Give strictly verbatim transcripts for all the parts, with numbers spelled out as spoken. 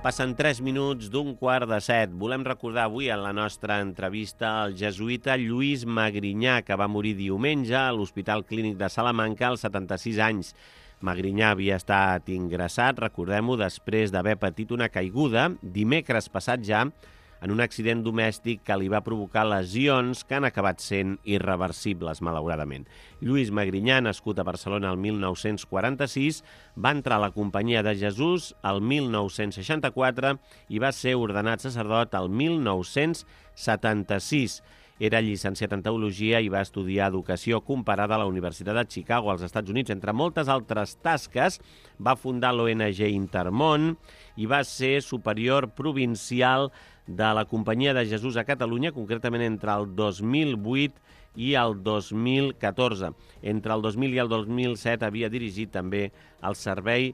Passen tres minuts d'un quart de set. Volem recordar avui en la nostra entrevista el jesuïta Lluís Magrinyà, que va morir diumenge a l'Hospital Clínic de Salamanca als setanta-sis anys. Magrinyà havia estat ingressat, recordem-ho, després d'haver patit una caiguda dimecres passat ja en un accident domèstic que li va provocar lesions que han acabat sent irreversibles, malauradament. Lluís Magrinyà, nascut a Barcelona el mil nou-cents quaranta-sis, va entrar a la Companyia de Jesús el mil nou-cents seixanta-quatre i va ser ordenat sacerdot el mil nou-cents setanta-sis. Era llicenciat en Teologia i va estudiar Educació Comparada a la Universitat de Chicago, als Estats Units. Entre moltes altres tasques, va fundar l'O N G Intermón i va ser superior provincial de la Companyia de Jesús a Catalunya, concretament entre el dos mil vuit i el dos mil catorze. Entre el dos mil i el dos mil set havia dirigit també el servei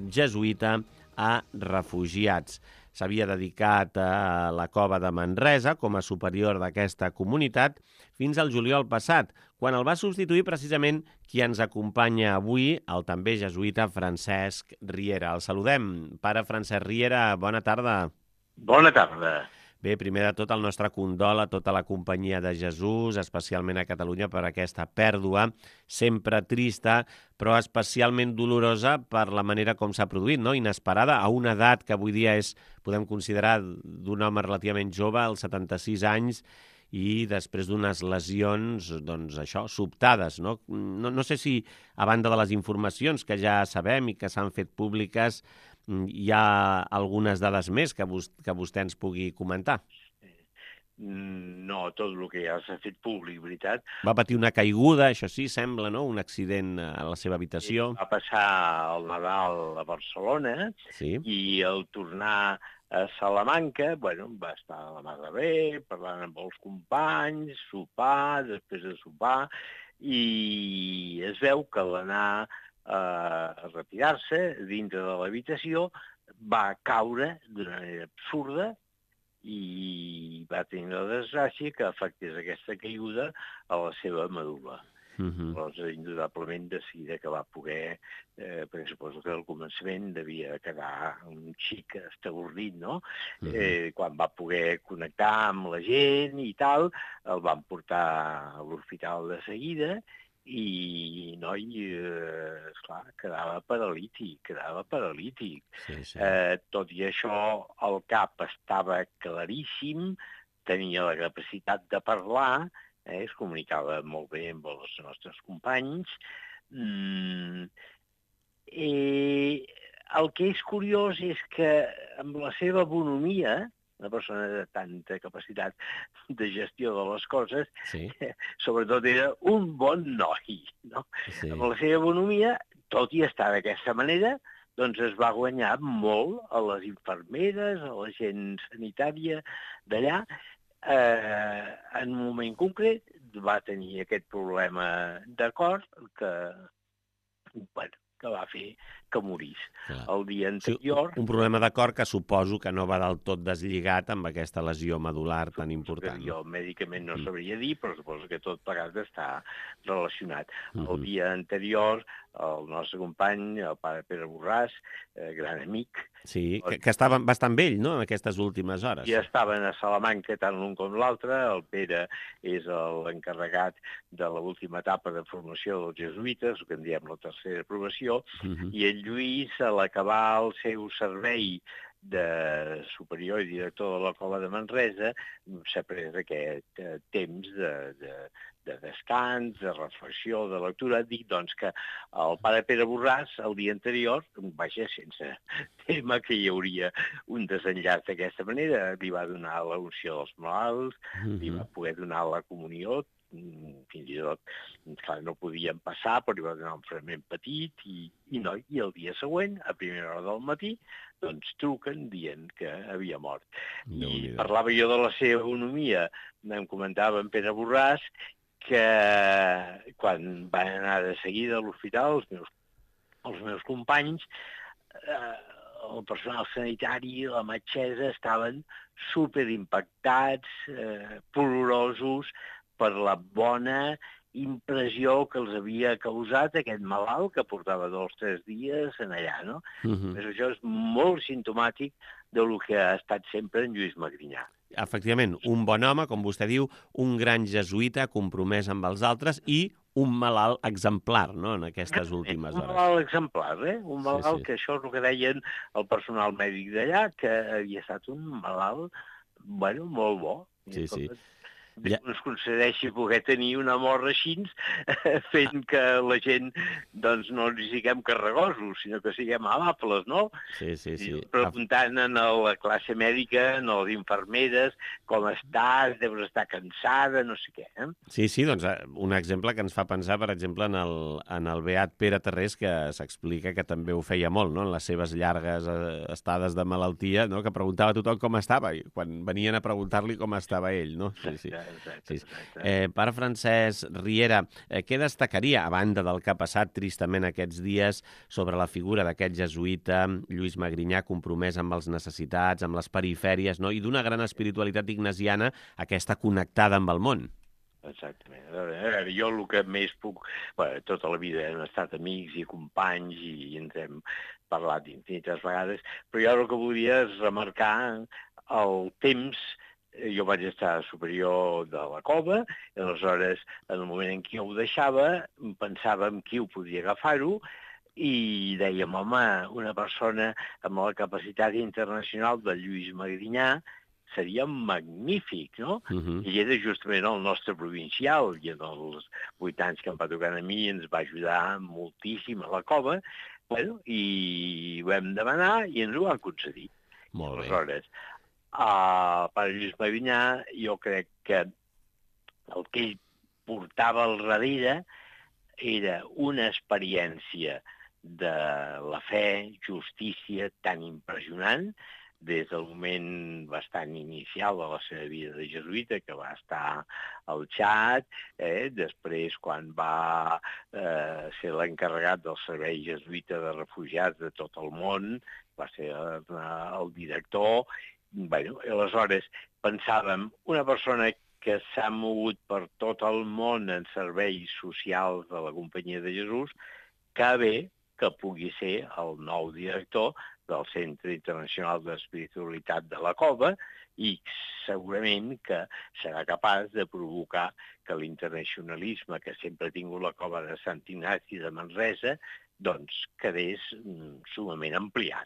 jesuïta a refugiats. S'havia dedicat a la cova de Manresa com a superior d'aquesta comunitat fins al juliol passat, quan el va substituir precisament qui ens acompanya avui, el també jesuïta Francesc Riera. El saludem. Pare Francesc Riera, bona tarda. Bona tarda. Bé, primer de tot el nostre condol a tota la Companyia de Jesús, especialment a Catalunya per aquesta pèrdua, sempre trista, però especialment dolorosa per la manera com s'ha produït, no? Inesperada, a una edat que avui dia és, podem considerar, d'un home relativament jove, als setanta-sis anys, i després d'unes lesions, doncs això, sobtades, no? No, no sé si, a banda de les informacions que ja sabem i que s'han fet públiques, hi ha algunes dades més que, vos, que vostè ens pugui comentar. No, tot el que ja s'ha fet públic, veritat. Va patir una caiguda, això sí, sembla, no? Un accident a la seva habitació. Va passar el Nadal a Barcelona, sí. I al tornar a Salamanca, bueno, va estar a la mar de bé, parlant amb els companys, sopar, després de sopar, i es veu que l'anar a retirar-se dintre de l'habitació va caure d'una manera absurda i va tenir la desgràcia que afectés aquesta caiguda a la seva medul·la. Uh-huh. Llavors, indudablement, de seguida que va poder, eh, perquè suposo que al començament devia quedar un xic estabordit, no? Uh-huh. Eh, quan va poder connectar amb la gent i tal, el van portar a l'hospital de seguida i, noi, eh, esclar, quedava paralític, quedava paralític. Sí, sí. Eh, tot i això, el cap estava claríssim, tenia la capacitat de parlar, eh, es comunicava molt bé amb els nostres companys. Mm, eh, el que és curiós és que amb la seva bonomia, una persona de tanta capacitat de gestió de les coses, sí. Sobretot era un bon noi, no? Sí. Amb la seva bonomia, tot i estar d'aquesta manera, doncs es va guanyar molt a les infermeres, a la gent sanitària d'allà. Eh, en un moment concret va tenir aquest problema de cor que, bueno, que va fer que morís. Clar. El dia anterior... Sí, un problema de cor que suposo que no va del tot deslligat amb aquesta lesió medular tan important. Jo mèdicament no sabria dir, però suposo que tot plegat està relacionat. Uh-huh. El dia anterior, el nostre company, el pare Pere Borràs, eh, gran amic... Sí, que, que estava bastant vell, no?, en aquestes últimes hores. Ja estaven a Salamanca tant l'un com l'altre. El Pere és l'encarregat de l'última etapa de formació dels jesuïtes, el que en diem la tercera aprovació, uh-huh. I el Lluís, a l'acabar el seu servei de superior i director de la Cova de Manresa, s'ha pres aquest eh, temps de, de, de descans, de reflexió, de lectura. Dic, doncs, que el pare Pere Borràs, el dia anterior, vaja, sense tema que hi hauria un desenllaç d'aquesta manera, li va donar la unció dels malalts, uh-huh. Li va poder donar la comunió, fins i tot, clar, no podien passar, però hi va donar un fragment petit, i, i, no, i el dia següent, a primera hora del matí, doncs truquen dient que havia mort. No, I parlava jo de la seva economia, em comentava en Pere Borràs que quan van anar de seguida a l'hospital, els meus, els meus companys, eh, el personal sanitari i la metgessa estaven superimpactats, eh, plorosos, per la bona impressió que els havia causat aquest malalt que portava dos o tres dies en allà, no? Uh-huh. Però això és molt simptomàtic del que ha estat sempre en Lluís Magrinyà. Efectivament, un bon home, com vostè diu, un gran jesuïta compromès amb els altres i un malalt exemplar, no?, en aquestes últimes hores. Un malalt exemplar, eh? Un malalt sí, sí. que això és el que deien el personal mèdic d'allà, que havia estat un malalt, bueno, molt bo. Sí, sí. Déu ens concedeixi poder tenir una mort així, fent que la gent doncs, no ens siguem carregosos, sinó que siguem amables, no? Sí, sí, sí. Preguntant a la classe mèdica, a les infermeres, com estàs, deus estar cansada, no sé què. Eh? Sí, sí, doncs un exemple que ens fa pensar, per exemple, en el, en el beat Pere Tarrés, que s'explica que també ho feia molt, no?, en les seves llargues estades de malaltia, no?, que preguntava a tothom com estava, i quan venien a preguntar-li com estava ell, no? Sí, sí. Exacte, exacte. Eh, Pare Francesc Riera, eh, què destacaria, a banda del que ha passat tristament aquests dies, sobre la figura d'aquest jesuïta, Lluís Magrinyà, compromès amb els necessitats, amb les perifèries, no?, i d'una gran espiritualitat ignasiana, aquesta connectada amb el món? Exactament. A veure, jo el que més puc... Bé, tota la vida hem estat amics i companys i ens hem parlat infinites vegades, però jo el que volia és remarcar el temps. Jo vaig estar superior de la cova, i aleshores, en el moment en què ho deixava, pensàvem qui ho podia agafar-ho, i dèiem, home, una persona amb la capacitat internacional de Lluís Magrinyà seria magnífic, no? Uh-huh. I era justament el nostre provincial, i en els vuit anys que em va tocar a mi ens va ajudar moltíssim a la cova, bueno, i ho vam demanar i ens ho van concedir. Molt bé. Aleshores, Uh, per Lluís Magrinyà, jo crec que el que ell portava al darrere era una experiència de la fe, justícia tan impressionant, des del moment bastant inicial de la seva vida de jesuïta, que va estar al Txad, eh? Després quan va eh, ser l'encarregat del servei jesuïta de refugiats de tot el món, va ser eh, el director. Bueno, aleshores pensàvem, una persona que s'ha mogut per tot el món en serveis socials de la Companyia de Jesús, que bé que pugui ser el nou director del Centre Internacional d'Espiritualitat de la Cova i segurament que serà capaç de provocar que l'internacionalisme que sempre ha tingut la Cova de Sant Ignasi de Manresa doncs quedés sumament ampliat.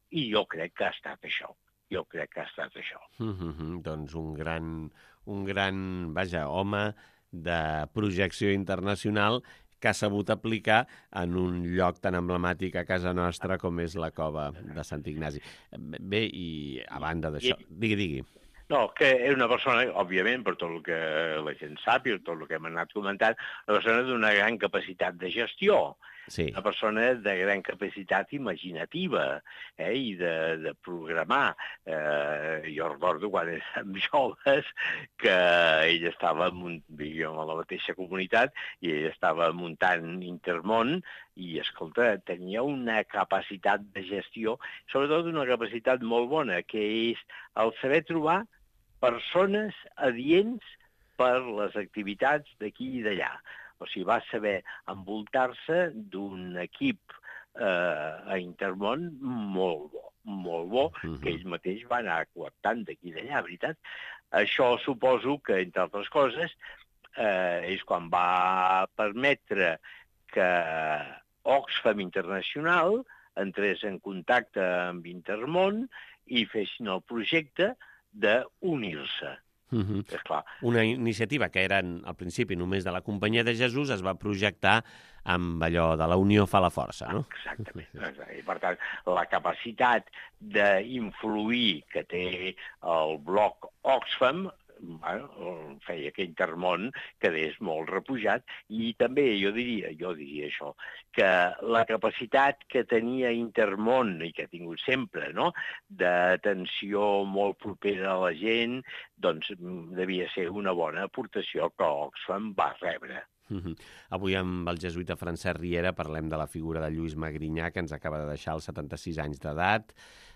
I jo crec que ha estat això. Jo crec que ha estat això. Mm-hmm. Doncs un gran, un gran, vaja, home de projecció internacional que ha sabut aplicar en un lloc tan emblemàtic a casa nostra com és la Cova de Sant Ignasi. Bé, i a banda d'això... Digui, digui. No, que és una persona, òbviament, per tot el que la gent sap i tot el que hem anat comentant, una persona d'una gran capacitat de gestió, sí. Una persona de gran capacitat imaginativa eh, i de, de programar. Eh, jo recordo quan érem joves que ell estava, vivíem a la mateixa comunitat, i ell estava muntant Intermón i, escolta, tenia una capacitat de gestió, sobretot una capacitat molt bona, que és el saber trobar persones adients per les activitats d'aquí i d'allà. O sigui, va saber envoltar-se d'un equip eh, a Intermón molt bo, molt bo, uh-huh. que ell mateix va anar coactant d'aquí i d'allà, veritat. Això suposo que, entre altres coses, eh, és quan va permetre que Oxfam Internacional entrés en contacte amb Intermón i fessin el projecte d'unir-se. Uh-huh. Esclar. Una iniciativa que era al principi només de la Companyia de Jesús es va projectar amb allò de la unió fa la força, no? Exactament. I per tant, la capacitat d'influir que té el bloc Oxfam, bueno, feia que Intermón quedés molt repujat, i també jo diria, jo diria això, que la capacitat que tenia Intermón i que ha tingut sempre, no?, d'atenció molt propera a la gent, doncs devia ser una bona aportació que Oxfam va rebre. Mm-hmm. Avui amb el jesuïta Francesc Riera parlem de la figura de Lluís Magrinyà, que ens acaba de deixar als setanta-sis anys d'edat,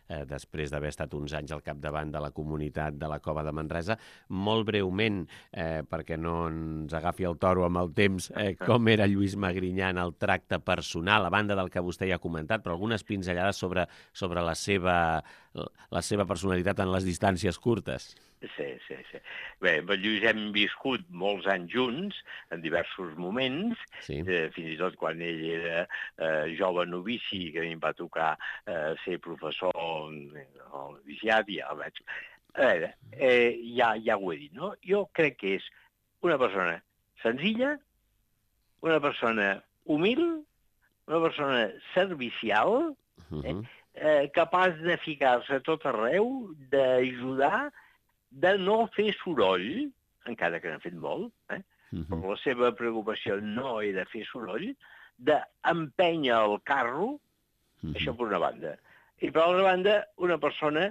eh, després d'haver estat uns anys al capdavant de la comunitat de la Cova de Manresa. Molt breument, eh, perquè no ens agafi el toro amb el temps, eh, com era Lluís Magrinyà en el tracte personal, a banda del que vostè ja ha comentat, però algunes pinzellades sobre, sobre la seva, la seva personalitat en les distàncies curtes. Sí, sí, sí. Bé, amb el Lluís hem viscut molts anys junts, en diversos moments, sí. eh, fins i tot quan ell era eh, jove novici, que a mi em va tocar eh, ser professor al noviciat, i ja el vaig... A veure, eh, ja, ja ho he dit, no? Jo crec que és una persona senzilla, una persona humil, una persona servicial, eh, eh, capaç de ficar-se a tot arreu, d'ajudar, de no fer soroll, encara que n'ha fet molt, eh? Uh-huh. Però la seva preocupació no era fer soroll, d'empènyer el carro, uh-huh. Això per una banda. I per l'altra banda, una persona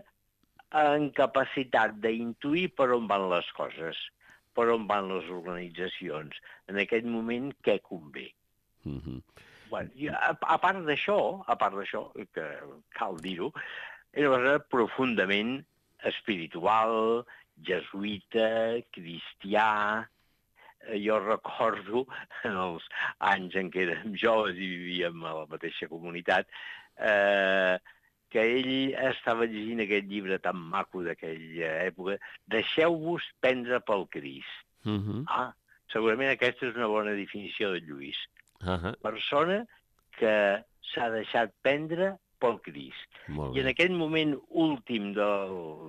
amb capacitat d'intuir per on van les coses, per on van les organitzacions, en aquest moment què convé. Uh-huh. Bueno, a, a part d'això, a part d'això, que cal dir-ho, era una persona profundament espiritual, jesuïta, cristià. Jo recordo, en els anys en què érem joves i vivíem a la mateixa comunitat, eh, que ell estava llegint aquest llibre tan maco d'aquella època, Deixeu-vos prendre pel Crist. Uh-huh. Ah, segurament aquesta és una bona definició de Lluís. Uh-huh. Persona que s'ha deixat prendre pel Crist. I en aquest moment últim de,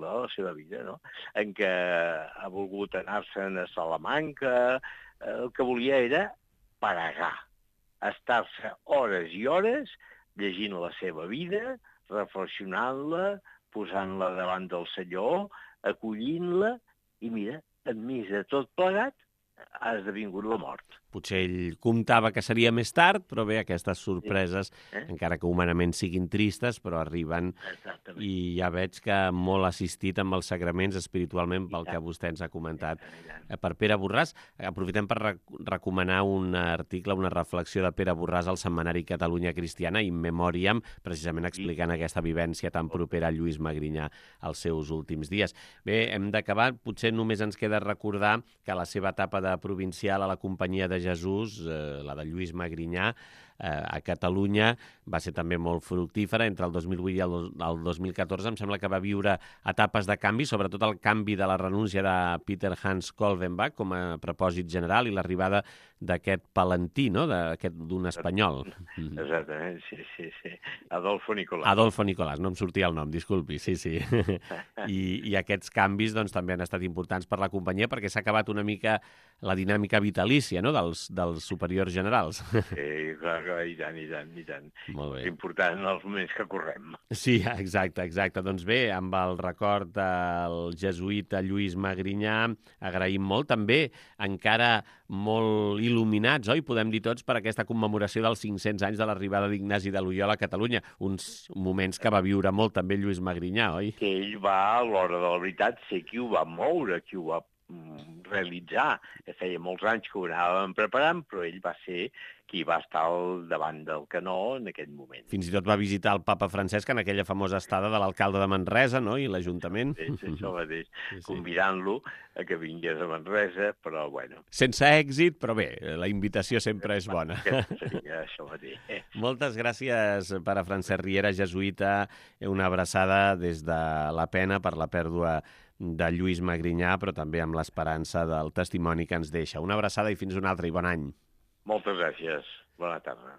de la seva vida, no? En què ha volgut anar-se'n a Salamanca, el que volia era paregar, estar-se hores i hores llegint la seva vida, reflexionant-la, posant-la davant del Senyor, acollint-la, i mira, enmig de tot plegat, ha esdevingut la mort. Potser ell comptava que seria més tard, però bé, aquestes sorpreses, sí. eh? encara que humanament siguin tristes, però arriben. Exactament. I ja veig que molt assistit amb els sagraments espiritualment pel que vostè ens ha comentat per Pere Borràs. Aprofitem per rec recomanar un article, una reflexió de Pere Borràs al setmanari Catalunya Cristiana, In Memoriam, precisament explicant sí. aquesta vivència tan propera a Lluís Magrinyà als seus últims dies. Bé, hem d'acabar. Potser només ens queda recordar que la seva etapa de provincial a la Companyia de Jesús, eh, la de Lluís Magrinyà, eh, a Catalunya, va ser també molt fructífera. Entre el dos mil vuit i el, el dos mil catorze em sembla que va viure etapes de canvi, sobretot el canvi de la renúncia de Peter Hans Kolvenbach com a propòsit general i l'arribada d'aquest palentí, no?, d'un espanyol. Exactament, sí, sí, sí. Adolfo Nicolás. Adolfo Nicolás, no em sortia el nom, disculpi, sí, sí. I, i aquests canvis doncs, també han estat importants per la companyia perquè s'ha acabat una mica la dinàmica vitalícia, no?, dels, dels superiors generals. Sí, clar, clar, i tant, i tant, i tant. Molt bé. És important en els moments que correm. Sí, exacte, exacte. Doncs bé, amb el record del jesuïta Lluís Magrinyà, agraïm molt. També encara molt il·luminats, oi? Podem dir tots, per aquesta commemoració dels cinc-cents anys de l'arribada d'Ignasi de Loiola a Catalunya. Uns moments que va viure molt també Lluís Magrinyà, oi? Que ell va, a l'hora de la veritat, ser qui ho va moure, qui ho va realitzar. Feia molts anys que ho anàvem preparant, però ell va ser qui va estar al davant del canó en aquest moment. Fins i tot va visitar el papa Francesc en aquella famosa estada de l'alcalde de Manresa, no?, i l'Ajuntament. Sí, sí, això mateix, sí, sí. Convidant-lo a que vingués a Manresa, però bueno. Sense èxit, però bé, la invitació sempre és bona. Seria això mateix. Moltes gràcies, pare Francesc Riera, jesuïta, una abraçada des de la pena per la pèrdua de Lluís Magrinyà, però també amb l'esperança del testimoni que ens deixa. Una abraçada i fins un altre, i bon any. Moltes gràcies. Bona tarda.